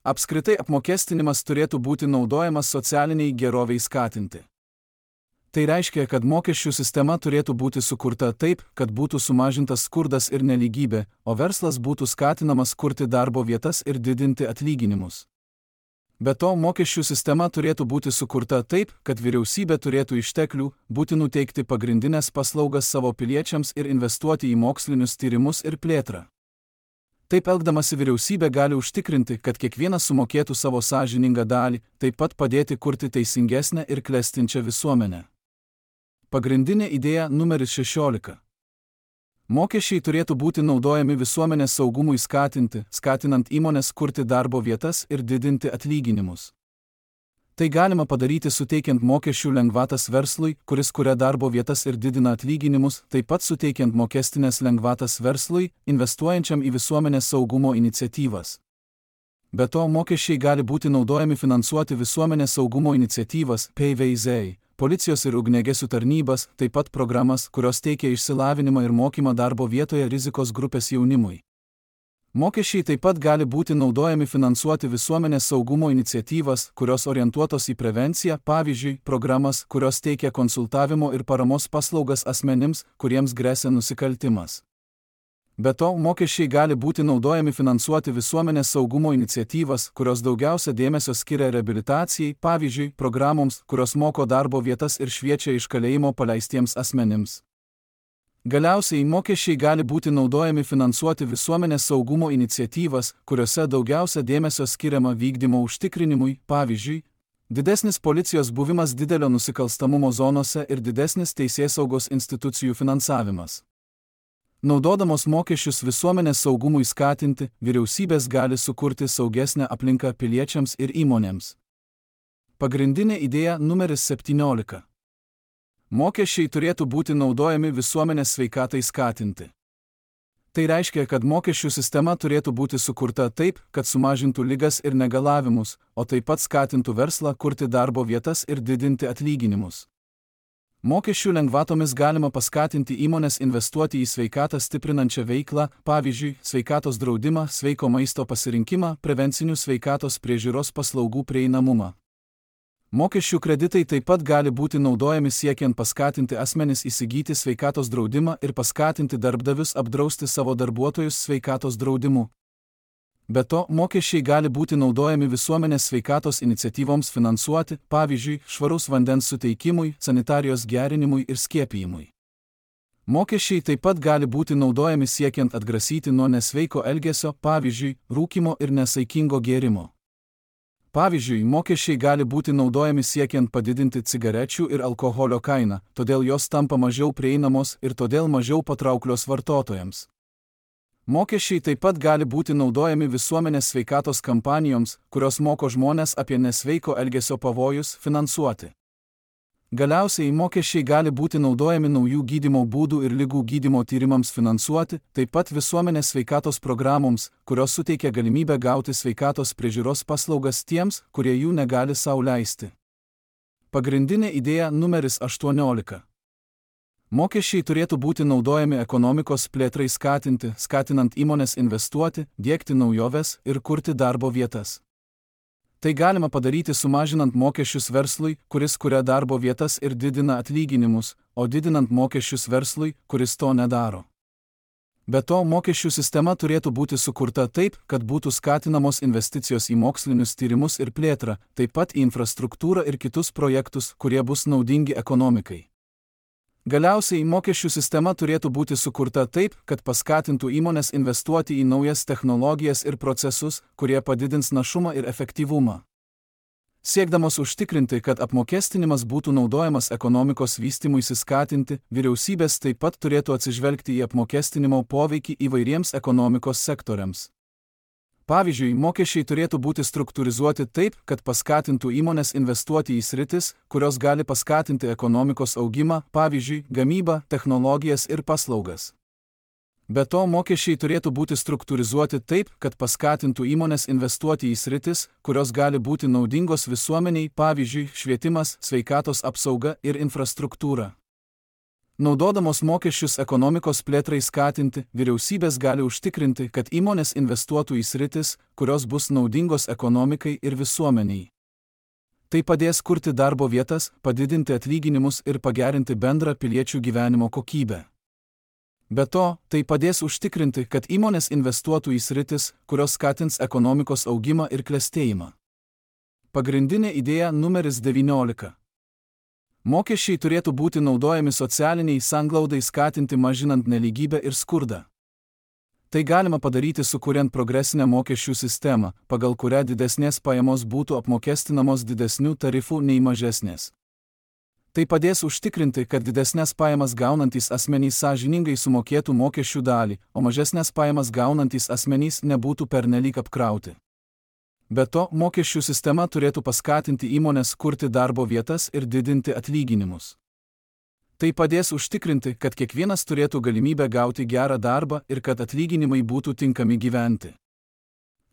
Apskritai apmokestinimas turėtų būti naudojamas socialiniai geroviai skatinti. Tai reiškia, kad mokesčių sistema turėtų būti sukurta taip, kad būtų sumažintas skurdas ir nelygybė, o verslas būtų skatinamas kurti darbo vietas ir didinti atlyginimus. Be to, mokesčių sistema turėtų būti sukurta taip, kad vyriausybė turėtų išteklių, būtinų teikti pagrindinės paslaugas savo piliečiams ir investuoti į mokslinius tyrimus ir plėtrą. Taip elgdamasi vyriausybė gali užtikrinti, kad kiekvienas sumokėtų savo sąžiningą dalį, taip pat padėti kurti teisingesnę ir klestinčią visuomenę. Pagrindinė idėja numeris 16. Mokesčiai turėtų būti naudojami visuomenės saugumui skatinti, skatinant įmonės kurti darbo vietas ir didinti atlyginimus. Tai galima padaryti suteikiant mokesčių lengvatas verslui, kuris kuria darbo vietas ir didina atlyginimus, taip pat suteikiant mokestinės lengvatas verslui, investuojančiam į visuomenės saugumo iniciatyvas. Be to, mokesčiai gali būti naudojami finansuoti visuomenės saugumo iniciatyvas PVZ, policijos ir ugniagesių tarnybas, taip pat programas, kurios teikia išsilavinimą ir mokymą darbo vietoje rizikos grupės jaunimui. Mokesčiai taip pat gali būti naudojami finansuoti visuomenės saugumo iniciatyvas, kurios orientuotos į prevenciją, pavyzdžiui, programas, kurios teikia konsultavimo ir paramos paslaugas asmenims, kuriems gresia nusikaltimas. Be to, mokesčiai gali būti naudojami finansuoti visuomenės saugumo iniciatyvas, kurios daugiausia dėmesio skiria reabilitacijai, pavyzdžiui, programoms, kurios moko darbo vietas ir šviečia iš kalėjimo paleistiems asmenims. Galiausiai, mokesčiai gali būti naudojami finansuoti visuomenės saugumo iniciatyvas, kuriuose daugiausia dėmesio skiriama vykdymo užtikrinimui, pavyzdžiui, didesnis policijos buvimas didelio nusikalstamumo zonose ir didesnis teisėsaugos institucijų finansavimas. Naudodamos mokesčius visuomenės saugumui skatinti, vyriausybės gali sukurti saugesnę aplinką piliečiams ir įmonėms. Pagrindinė idėja numeris 17. Mokesčiai turėtų būti naudojami visuomenės sveikatai skatinti. Tai reiškia, kad mokesčių sistema turėtų būti sukurta taip, kad sumažintų ligas ir negalavimus, o taip pat skatintų verslą kurti darbo vietas ir didinti atlyginimus. Mokesčių lengvatomis galima paskatinti įmones investuoti į sveikatą stiprinančią veiklą, pavyzdžiui, sveikatos draudimą, sveiko maisto pasirinkimą, prevencinių sveikatos priežiūros paslaugų prieinamumą. Mokesčių kreditai taip pat gali būti naudojami siekiant paskatinti asmenis įsigyti sveikatos draudimą ir paskatinti darbdavius apdrausti savo darbuotojus sveikatos draudimu. Be to, mokesčiai gali būti naudojami visuomenės sveikatos iniciatyvoms finansuoti, pavyzdžiui, švaraus vandens suteikimui, sanitarijos gerinimui ir skiepijimui. Mokesčiai taip pat gali būti naudojami siekiant atgrasyti nuo nesveiko elgesio, pavyzdžiui, rūkymo ir nesaikingo gėrimo. Pavyzdžiui, mokesčiai gali būti naudojami siekiant padidinti cigarečių ir alkoholio kainą, todėl jos tampa mažiau prieinamos ir todėl mažiau patrauklios vartotojams. Mokesčiai taip pat gali būti naudojami visuomenės sveikatos kampanijoms, kurios moko žmones apie nesveiko elgesio pavojus, finansuoti. Galiausiai mokesčiai gali būti naudojami naujų gydymo būdų ir ligų gydymo tyrimams finansuoti, taip pat visuomenės sveikatos programoms, kurios suteikia galimybę gauti sveikatos priežiūros paslaugas tiems, kurie jų negali sau leisti. Pagrindinė idėja numeris 18. Mokesčiai turėtų būti naudojami ekonomikos plėtrai skatinti, skatinant įmones investuoti, diegti naujoves ir kurti darbo vietas. Tai galima padaryti sumažinant mokesčius verslui, kuris kuria darbo vietas ir didina atlyginimus, o didinant mokesčius verslui, kuris to nedaro. Be to, mokesčių sistema turėtų būti sukurta taip, kad būtų skatinamos investicijos į mokslinius tyrimus ir plėtrą, taip pat į infrastruktūrą ir kitus projektus, kurie bus naudingi ekonomikai. Galiausiai, mokesčių sistema turėtų būti sukurta taip, kad paskatintų įmones investuoti į naujas technologijas ir procesus, kurie padidins našumą ir efektyvumą. Siekdamos užtikrinti, kad apmokestinimas būtų naudojamas ekonomikos vystymuisi skatinti, vyriausybės taip pat turėtų atsižvelgti į apmokestinimo poveikį įvairiems ekonomikos sektoriams. Pavyzdžiui, mokesčiai turėtų būti struktūrizuoti taip, kad paskatintų įmones investuoti į sritis, kurios gali paskatinti ekonomikos augimą, pavyzdžiui, gamybą, technologijas ir paslaugas. Be to, mokesčiai turėtų būti struktūrizuoti taip, kad paskatintų įmones investuoti į sritis, kurios gali būti naudingos visuomeniai, pavyzdžiui, švietimas, sveikatos apsauga ir infrastruktūra. Naudodamos mokesčius ekonomikos plėtrai skatinti, vyriausybės gali užtikrinti, kad įmonės investuotų į sritis, kurios bus naudingos ekonomikai ir visuomeniai. Tai padės kurti darbo vietas, padidinti atlyginimus ir pagerinti bendrą piliečių gyvenimo kokybę. Be to, tai padės užtikrinti, kad įmonės investuotų į sritis, kurios skatins ekonomikos augimą ir klestėjimą. Pagrindinė idėja numeris 19. Mokesčiai turėtų būti naudojami socialiniai sanglaudai skatinti, mažinant nelygybę ir skurdą. Tai galima padaryti sukuriant progresinę mokesčių sistemą, pagal kurią didesnės pajamos būtų apmokestinamos didesnių tarifų nei mažesnės. Tai padės užtikrinti, kad didesnės pajamas gaunantys asmenys sąžiningai sumokėtų mokesčių dalį, o mažesnės pajamas gaunantys asmenys nebūtų pernelyg apkrauti. Be to, mokesčių sistema turėtų paskatinti įmones kurti darbo vietas ir didinti atlyginimus. Tai padės užtikrinti, kad kiekvienas turėtų galimybę gauti gerą darbą ir kad atlyginimai būtų tinkami gyventi.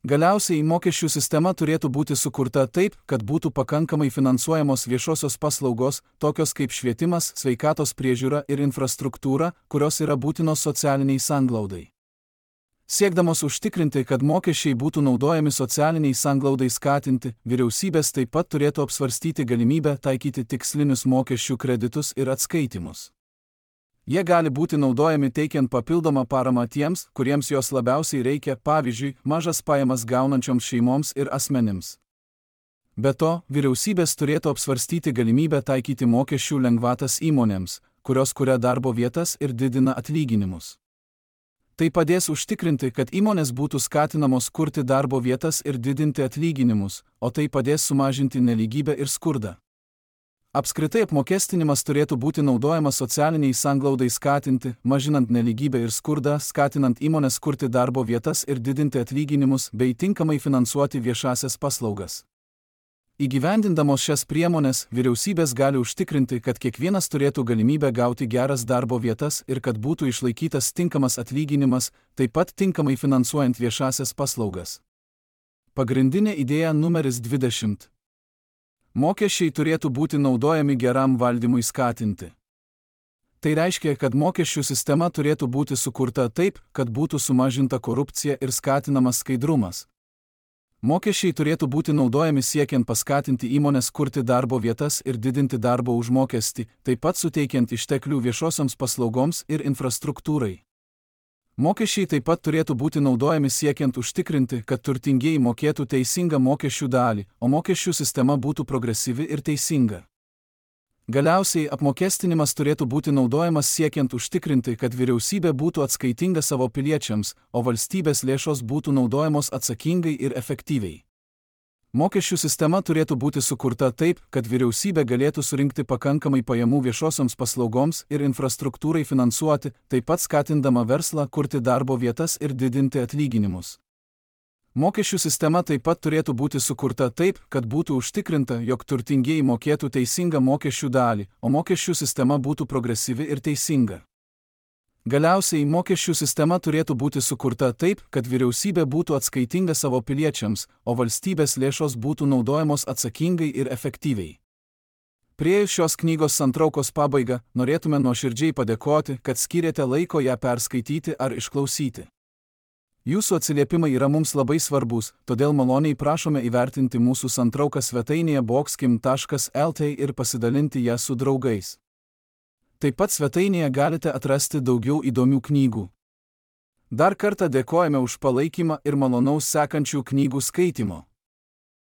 Galiausiai, mokesčių sistema turėtų būti sukurta taip, kad būtų pakankamai finansuojamos viešosios paslaugos, tokios kaip švietimas, sveikatos priežiūra ir infrastruktūra, kurios yra būtinos socialiniai sanglaudai. Siekdamos užtikrinti, kad mokesčiai būtų naudojami socialiniai sanglaudai skatinti, vyriausybės taip pat turėtų apsvarstyti galimybę taikyti tikslinius mokesčių kreditus ir atskaitimus. Jie gali būti naudojami teikiant papildomą paramą tiems, kuriems jos labiausiai reikia, pavyzdžiui, mažas pajamas gaunančioms šeimoms ir asmenims. Be to, vyriausybės turėtų apsvarstyti galimybę taikyti mokesčių lengvatas įmonėms, kurios kuria darbo vietas ir didina atlyginimus. Tai padės užtikrinti, kad įmonės būtų skatinamos kurti darbo vietas ir didinti atlyginimus, o tai padės sumažinti nelygybę ir skurdą. Apskritai apmokestinimas turėtų būti naudojamas socialiniai sanglaudai skatinti, mažinant nelygybę ir skurdą, skatinant įmonės kurti darbo vietas ir didinti atlyginimus bei tinkamai finansuoti viešąsias paslaugas. Įgyvendindamos šias priemonės, vyriausybės gali užtikrinti, kad kiekvienas turėtų galimybę gauti geras darbo vietas ir kad būtų išlaikytas tinkamas atlyginimas, taip pat tinkamai finansuojant viešasias paslaugas. Pagrindinė idėja numeris 20. Mokesčiai turėtų būti naudojami geram valdymui skatinti. Tai reiškia, kad mokesčių sistema turėtų būti sukurta taip, kad būtų sumažinta korupcija ir skatinamas skaidrumas. Mokesčiai turėtų būti naudojami siekiant paskatinti įmones kurti darbo vietas ir didinti darbo užmokestį, taip pat suteikiant išteklių viešosioms paslaugoms ir infrastruktūrai. Mokesčiai taip pat turėtų būti naudojami siekiant užtikrinti, kad turtingieji mokėtų teisingą mokesčių dalį, o mokesčių sistema būtų progresyvi ir teisinga. Galiausiai apmokestinimas turėtų būti naudojamas siekiant užtikrinti, kad vyriausybė būtų atskaitinga savo piliečiams, o valstybės lėšos būtų naudojamos atsakingai ir efektyviai. Mokesčių sistema turėtų būti sukurta taip, kad vyriausybė galėtų surinkti pakankamai pajamų viešosioms paslaugoms ir infrastruktūrai finansuoti, taip pat skatindama verslą kurti darbo vietas ir didinti atlyginimus. Mokesčių sistema taip pat turėtų būti sukurta taip, kad būtų užtikrinta, jog turtingieji mokėtų teisingą mokesčių dalį, o mokesčių sistema būtų progresyvi ir teisinga. Galiausiai mokesčių sistema turėtų būti sukurta taip, kad vyriausybė būtų atskaitinga savo piliečiams, o valstybės lėšos būtų naudojamos atsakingai ir efektyviai. Priėjus šios knygos santraukos pabaigą, norėtume nuoširdžiai padėkoti, kad skyrėte laiko ją perskaityti ar išklausyti. Jūsų atsiliepimai yra mums labai svarbus, todėl maloniai prašome įvertinti mūsų santrauką svetainėje boxkim.lt ir pasidalinti ją su draugais. Taip pat svetainėje galite atrasti daugiau įdomių knygų. Dar kartą dėkojame už palaikymą ir malonaus sekančių knygų skaitimo.